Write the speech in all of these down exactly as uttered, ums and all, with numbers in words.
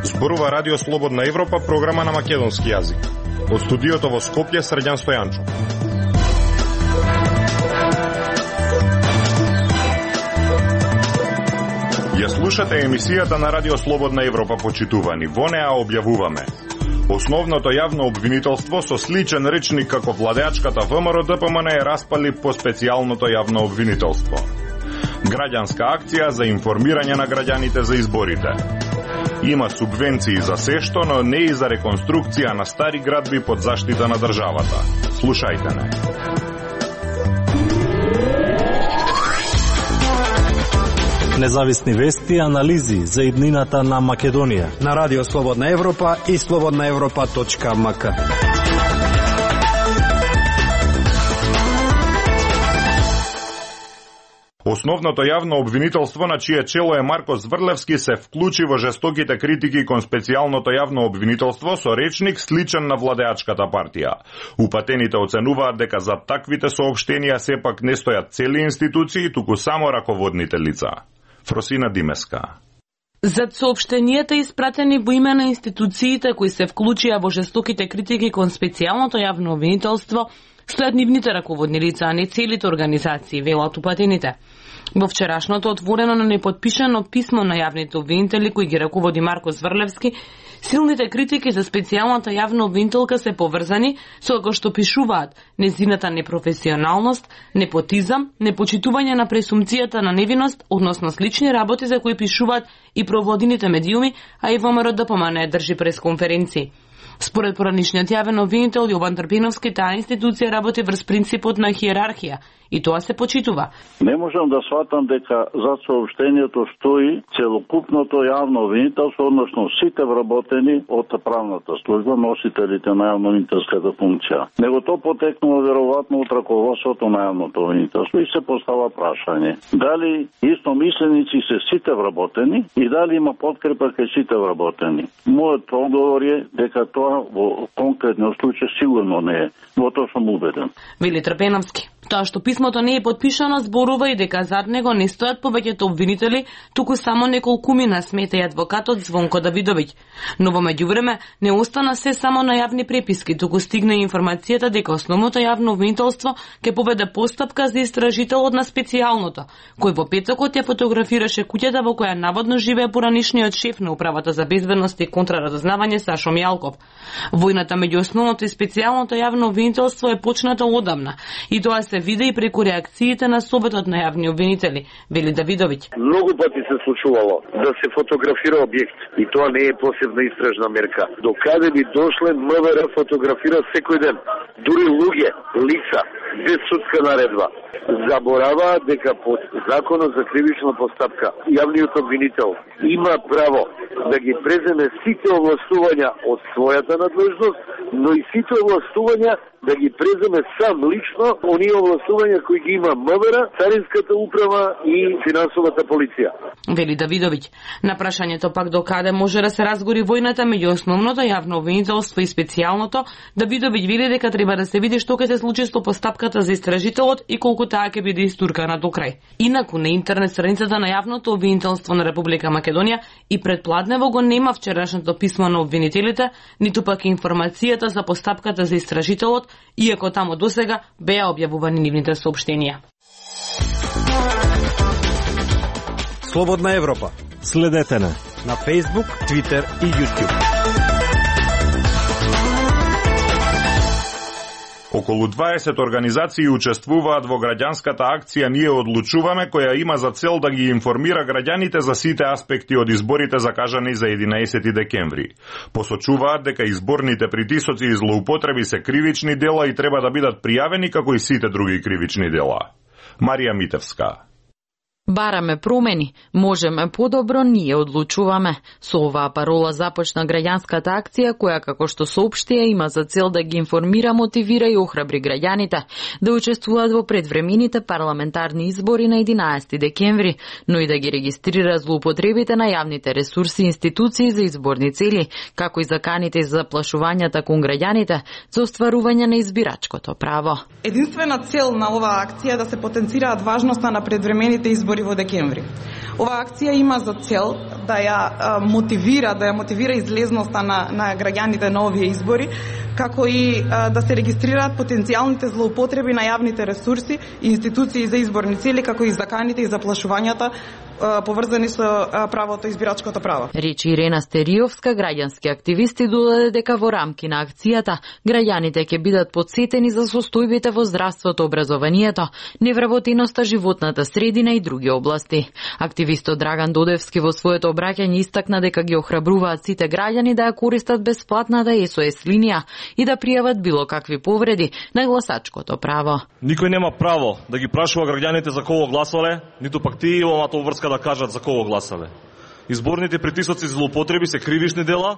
Зборува Радио Слободна Европа, програма на македонски јазик. Од студиото во Скопје, Срđan Стојанчо. Ја слушате емисијата на Радио Слободна Европа, почитувани. Во неа објавуваме основното јавно обвинителство со сличен речник како владеачката ВМРО-ДПМН е распали по специјалното јавно обвинителство. Граѓанска акција за информирање на граѓаните за изборите. Има субвенции за сешто, но не и за реконструкција на стари градби под заштита на државата. Слушајте не. Независни вести и анализи за иднината на Македонија на Радио Слободна Европа и слободна европа точка ем ка. Основното јавно обвинителство, на чие чело е Марко Зврлевски, се вклучи во жестоките критики кон специјалното јавно обвинителство со речник сличен на владеачката партија. Упатените оценуваат дека за таквите соопштенија сепак не стојат цели институции, туку само раководните лица. Фросина Димеска. Зад соопштенијата испратени во име на институциите кои се вклучија во жестоките критики кон специјалното јавно обвинителство, стојат нивните раководни лица, а не целите организации, велат упатените. Во вчерашното отворено, но неподпишано писмо на јавните обвинители кои ги раководи Марко Зврлевски, силните критики за специјалната јавна обвинителка се поврзани со како што пишуваат незината непрофесионалност, непотизам, непочитување на пресумцијата на невиност, односно слични работи за кои пишуваат и проводините медиуми, а и ВМРО-ДПМН држи пресконференции. Според поранишниот јавен обвинител Јован Трпиновски, таа институција работи врз принципот на хиерархија и тоа се почитува. Не можам да сватам дека зад соопштението стои целокупното јавно обвинителство, односно сите вработени од правната служба, носителите на јавно-обвинителската функција. Него то потекнува веројатно од раководството на јавното обвинителство и се постава прашање. Дали истомисленици се сите вработени и дали има подкрепа кај сите вработени? Мојот одговор е дека тоа во конкретниот случај сигурно не е. Во тоа сум убеден. Вели Трпеновски. Тоа што писмото не е подпишано зборува и дека зад него не стојат повеќето обвинители, туку само неколкумина, смета и адвокатот Звонко Давидовиќ. Но во меѓувреме не остана се само на јавни преписки, туку стигна и информацијата дека основното јавно обвинителство ќе поведе постапка за истражителот на специјалното, кој во петокот ја фотографираше куќата во која наводно живее поранишниот шеф на управата за безбедност и контраразузнавање Сашо Мијалков. Војната меѓу основното и специјалното јавно обвинителство е почната одамна и тоа се види и преку реакциите на советот на јавни обвинители, вели Давидовиќ. Многу пати се случувало да се фотографира објект и тоа не е посебна истражна мерка. До каде би дошле МВР фотографира секој ден, дури луѓе, лица, без судска наредба. Забораваат дека по законот за кривична постапка јавниот обвинител има право да ги преземе сите овластувања од својата надлежност, но и сите овластувања да ги преземе сам лично оние овластувања кои ги има МВР, Царинската управа и финансовата полиција. Вели Давидовиќ. На прашањето пак до каде може да се разгори војната меѓу основното јавно обвинителство и специјалното, Давидовиќ вели дека треба да се види што ќе се случи со постапката за истражителот и колку таа ќе биде истуркана до крај. Инаку на интернет страницата на јавното обвинителство на Република Македонија и предпладнево го нема вчерашното писмо на обвинителите, ниту пак информацијата за постапката за истражителот, иако тамо досега беа објавувани нивните соопштенија. Слободна Европа. Следете на на Facebook, Twitter и YouTube. Околу дваесет организации учествуваат во граѓанската акција Ние одлучуваме, која има за цел да ги информира граѓаните за сите аспекти од изборите закажани за единаесети декември. Посочуваат дека изборните притисоци и злоупотреби се кривични дела и треба да бидат пријавени како и сите други кривични дела. Марија Митевска. Бараме промени, можеме подобро, ние одлучуваме. Со оваа парола започна граѓанската акција која, како што соопштија, има за цел да ги информира, мотивира и охрабри граѓаните да учествуваат во предвремените парламентарни избори на единаесети декември, но и да ги регистрира злоупотребите на јавните ресурси и институции за изборни цели, како и заканите за заплашувањата кон граѓаните за остварување на избирачкото право. Единствена цел на оваа акција е да се потенцираат важноста на предвремените избори во декември. Оваа акција има за цел да ја а, мотивира, да ја мотивира излезноста на, на граѓаните на овие избори, како и а, да се регистрираат потенцијалните злоупотреби на јавните ресурси и институции за изборни цели, како и заканите и заплашувањата а, поврзани со а, правото избирачкото право. Речи Ирена Стериовска, граѓански активисти, додаде дека во рамки на акцијата граѓаните ќе бидат подсетени за состојбите во здравството, образованието, невработеноста, животната средина и други области. Активистот Драган Додевски во своето обраќање истакна дека ги охрабруваат сите граѓани да ја користат бесплатната ес о ес линија и да пријават било какви повреди на гласачкото право. Никој нема право да ги прашува граѓаните за кого гласале, ниту пак тие имаат обврска да кажат за кого гласале. Изборните притисоци и злоупотреби се кривишни дела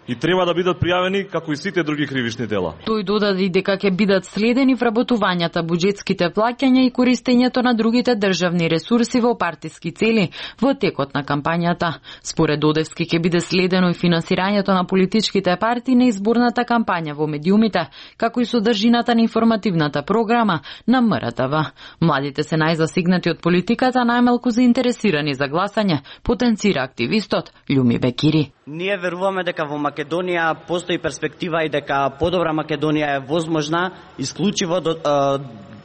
и треба да бидат пријавени како и сите други кривишни дела. Тој додаде дека ќе бидат следени вработувањата, буџетските плаќања и користењето на другите државни ресурси во партиски цели во текот на кампањата. Според Додевски ќе биде следено и финансирањето на политичките партии на изборната кампања во медиумите, како и содржината на информативната програма на М Р Т В. Младите се најзасигнати од политиката, најмалку заинтересирани за гласање, потенцира активистот Љуми Бекири. Ние веруваме дека во Македонија постои перспектива и дека подобра Македонија е возможна исклучиво до,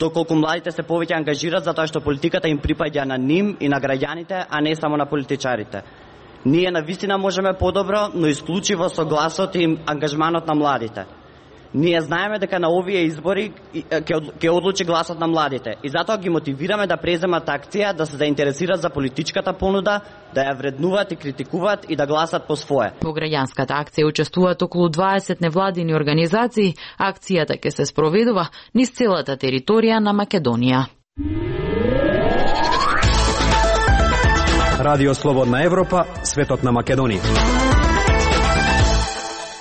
доколку младите се повеќе ангажират, затоа што политиката им припаѓа на ним и на граѓаните, а не само на политичарите. Ние навистина можеме подобро, но исклучиво со гласот и ангажманот на младите. Ние знаеме дека на овие избори ќе одлучи гласот на младите и затоа ги мотивираме да преземат акција, да се заинтересираат за политичката понуда, да ја вреднуваат и критикуваат и да гласат по свое. Во граѓанската акција учествуваат околу дваесет невладини организации. Акцијата ќе се спроведува низ целата територија на Македонија. Радио Слободна Европа, светот на Македонија.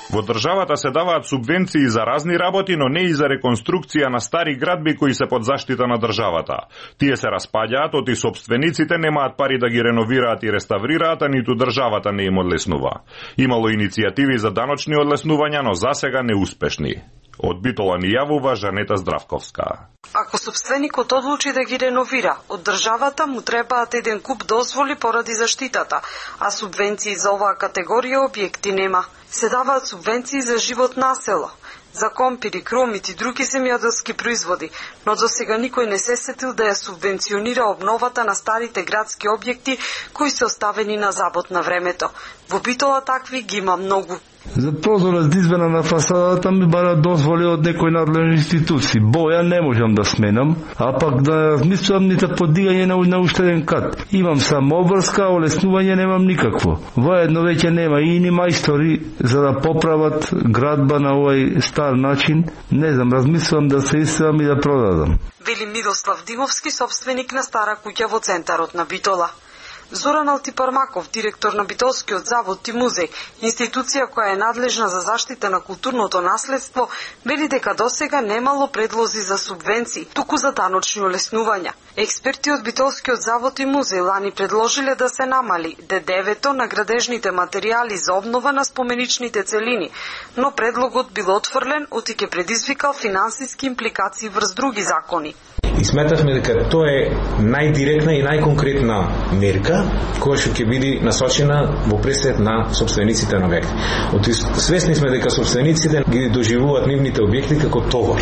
Во државата се даваат субвенции за разни работи, но не и за реконструкција на стари градби кои се под заштита на државата. Тие се распаѓаат, оти собствениците немаат пари да ги реновираат и реставрираат, а ниту државата не им одлеснува. Имало иницијативи за даночни одлеснувања, но засега неуспешни. Од Битола ни јавува Жанета Здравковска. Ако собственикот одлучи да ги реновира, од државата му требаат еден куп дозволи поради заштитата, а субвенции за оваа категорија објекти нема. Се даваат субвенции за живот на село, за компири, кромит и други земјоделски производи, но до сега никој не се сетил да ја субвенционира обновата на старите градски објекти кои се оставени на забот на времето. Во Битола такви ги има многу. За прозор за измена на фасадата ми бара дозволи од некој надлежни институции. Боја не можам да сменам, а пак да размислувам нито подигање на, на уште еден кат. Имам само обрска, олеснување немам никакво. Воедно веќе нема и ни мајстори за да поправат градба на овој стар начин. Не знам, размислувам да се иселам и да продадам. Вели Мидослав Димовски, собственик на стара куќа во центарот на Битола. Зоран Алтипармаков, директор на Битолскиот завод и музеј, институција која е надлежна за заштита на културното наследство, вели дека досега немало предлози за субвенции, туку за даночни олеснувања. Експерти од Битолскиот завод и музеј лани предложиле да се намали Д Д В-то на градежните материјали за обнова на споменичните целини, но предлогот бил отфрлен, оти ќе предизвикал финансиски импликации врз други закони. И сметавме дека тоа е најдиректна и најконкретна мерка која што ќе биде насочена во пресет на собствениците на објекти. Оти свесни сме дека собствениците ги доживуваат нивните објекти како товар.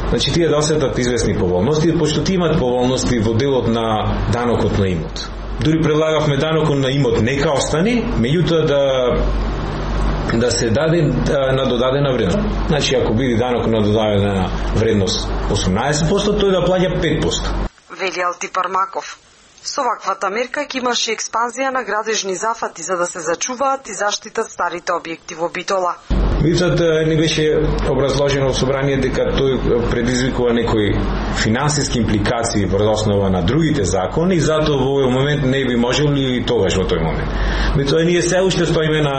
Значи тие да осетат известни поволности, пошто тие имаат поволности во делот на данокот на имот. Дури предлагавме данокот на имот нека остане, меѓутоа да да се даде на додадена вредност. Значи, ако биде данок на додадена вредност осумнаесет проценти, тој да плаќа пет проценти. Вели Алтипармаков. Со ваквата мерка ќе имаше експанзија на градежни зафати за да се зачуваат и заштитат старите објекти во Битола. Меѓутоа не беше образложено во собрание дека тој предизвикува некои финансиски импликации врз основа на другите закони и затоа во овој момент не би можело и тогаш во тој момент. Меѓутоа ние се уште стоиме на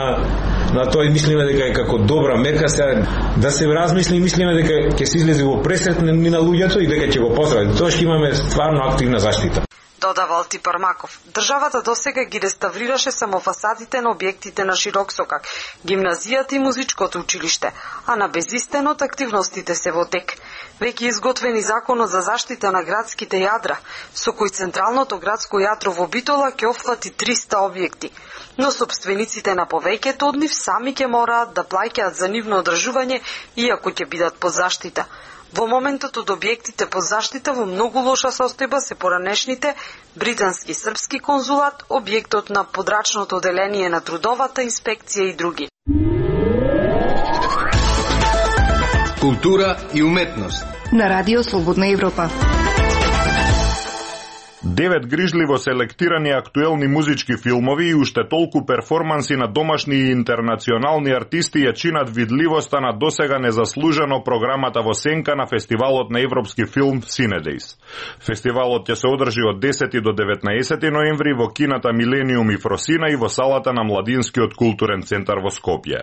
на тоа и мислиме дека е како добра мерка се да се размисли, мислиме дека ќе се излезе во пресрет на луѓето и дека ќе го поздрават. Тоа што имаме стварно активна заштита. Додава Алтипар Маков. Државата досега ги реставрираше само фасадите на објектите на Широк Сокак, гимназијата и музичкото училиште, а на Безистенот активностите се во тек. Веќе изготвени законот за заштита на градските јадра, со кој централното градско јадро во Битола ќе опфати триста објекти, но собствениците на повеќето од нив сами ќе мораат да плаќаат за нивно одржување, иако ќе бидат под заштита. Во моментот од објектите под заштита во многу лоша состојба се поранешните британски српски конзулат, објектот на подрачното оделение на трудовата инспекција и други. Култура и уметност на Радио Слободна Европа. Девет грижливо селектирани актуелни музички филмови и уште толку перформанси на домашни и интернационални артисти ја чинат видливоста на досега незаслужено програмата во сенка на фестивалот на европски филм Cinedejs. Фестивалот ќе се одржи од десети до деветнаесети ноември во кината Милениум и Фросина и во салата на Младинскиот културен центар во Скопје.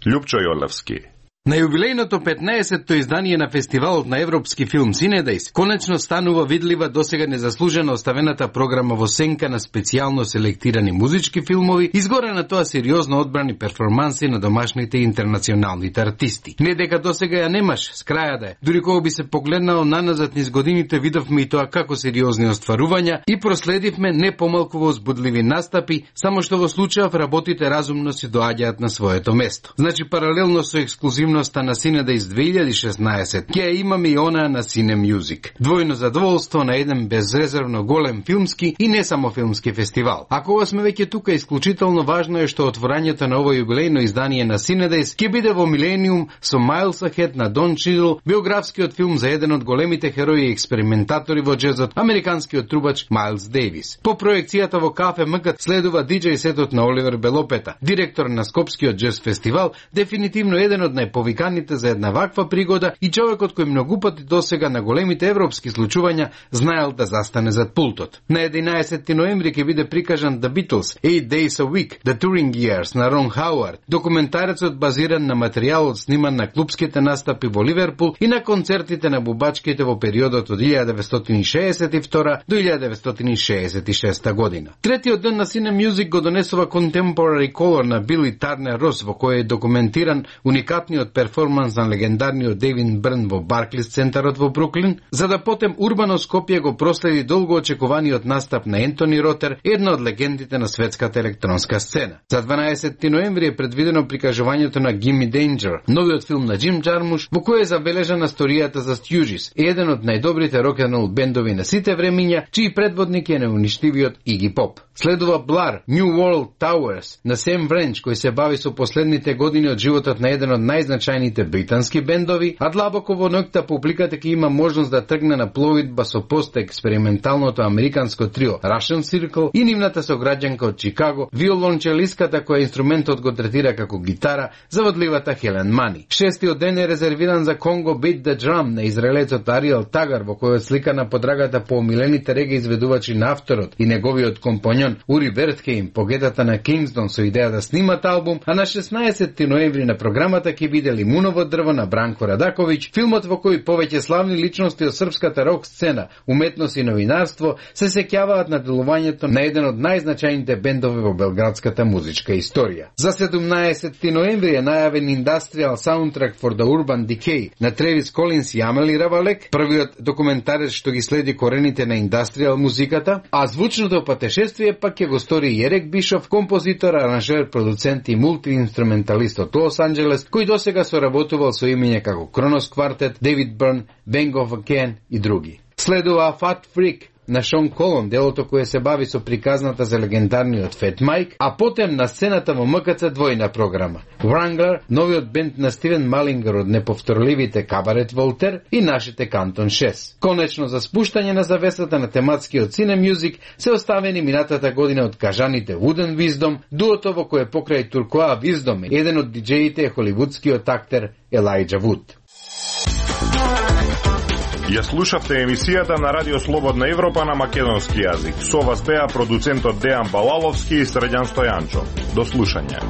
Љупчо Јолевски. На јубилејното петнаесетто издание на фестивалот на европски филм Cinedejs конечно станува видлива досега незаслужено оставената програма во сенка на специјално селектирани музички филмови, изгоре на тоа сериозно одбрани перформанси на домашните и интернационалните артисти. Не дека досега ја немаш, с краја да е. Дури кога би се погледнало наназад низ годините, видовме и тоа како сериозни остварувања и проследивме не помалку возбудливи настапи, само што во случајов работите разумно си доаѓаат на своето место. Значи паралелно со ексклузивно на Cinedejs две илјади и шеснаесет, ќе имаме и она на Cine Music. Двојно задоволство на еден безрезервно голем филмски и не само филмски фестивал. А кога сме веќе тука, исклучително важно е што отворањето на ово јубилејно издание на Cinedejs ќе биде во Милениум со Miles Ahead на Дон Чидл, биографскиот филм за еден од големите херои и експериментатори во джезот, американскиот трубач Майлс Дейвис. По проекцијата во Кафе Мгат следува диџеј сетот на Оливер Белопета, директор на Скопскиот джез фестивал, дефинитивно еден од најповиканите за една ваква пригода и човекот кој многу пати досега на големите европски случувања знаел да застане зад пултот. На единаесети ноември ќе биде прикажан The Beatles, Eight Days a Week, The Touring Years на Рон Хауард, документарецот базиран на материјалот сниман на клубските настапи во Ливерпул и на концертите на бубачките во периодот од илјада деветстотини шеесет и втора до илјада деветстотини шеесет и шеста година. Третиот ден на Cine Music го донесува Contemporary Color на Били Тарнер Рос, во кој е документиран уникатниот перформанс на легендарниот Дейвид Бърн во Барклис центарот во Бруклин, за да потем урбано Скопје го проследи долго очекуваниот настап на Ентони Ротер, една од легендите на светската електронска сцена. За дванаесети ноември е предвидено прикажувањето на Gimme Danger, новиот филм на Джим Джармуш, во кој е забележана сторијата за Stooges, еден од најдобрите рок-н-рол бендови на сите времиња, чиј предводник е неуништивиот Иги Поп. Следува Blur, New World Towers на Сэм Вренч, кој се бави со последните години од животот на еден од најзначајните британски бендови, а длабоко во ноќта публиката ќе има можност да тргне на пловидба со пост-експерименталното американско трио Russian Circle и нивната сограѓанка од Чикаго, виолончелиската која инструментот го третира како гитара, заводливата Хелен Мани. Шестиот ден е резервиран за Congo Beat the Drum на израелецот Ариел Тагар, во кој слика на подрагата по омилените реге изведувачи на авторот и неговиот компањон Ури Вертхейм, погедата на Кингсдон со идеја да снимат албум, а на шеснаесети ноември на програмата ќе биде Лимуново дрво на Бранко Радаковиќ, филмот во кој повеќе славни личности од српската рок сцена, уметност и новинарство се сеќаваат на делувањето на еден од најзначајните бендови во белградската музичка историја. За седумнаесети ноември е најавен Industrial Soundtrack for the Urban Decay на Тревис Колинс и Амели Равалек, првиот документарец што ги следи корените на индастријал музиката, а звучното патешествие пак ќе го стори Јерек Бишов, композитор, аранжер, продуцент и мултиинструменталист од Лос Анџелес, кој досега соработувал со имиња како Кронос Квартет, Дейвид Бърн, Bang of Again и други. Следува Fat Freak, на Шон Колон, делото кое се бави со приказната за легендарниот Фет Майк, а потем на сцената во М К Ц двојна програма. Wrangler, новиот бенд на Стивен Малингер од неповторливите Кабарет Волтер и нашите Кантон шест. Конечно за спуштање на завесата на тематскиот Cine Music се оставени минатата година од кажаните Wooden Wisdom, дуото во кое покрај Туркоа Wisdom, еден од диџеите е холивудскиот актер Елајджа Вуд. Ја слушавте емисијата на Радио Слободна Европа на македонски јазик. Со вас беа продуцентот Дејан Балаловски и Средјан Стојанчо. До слушање.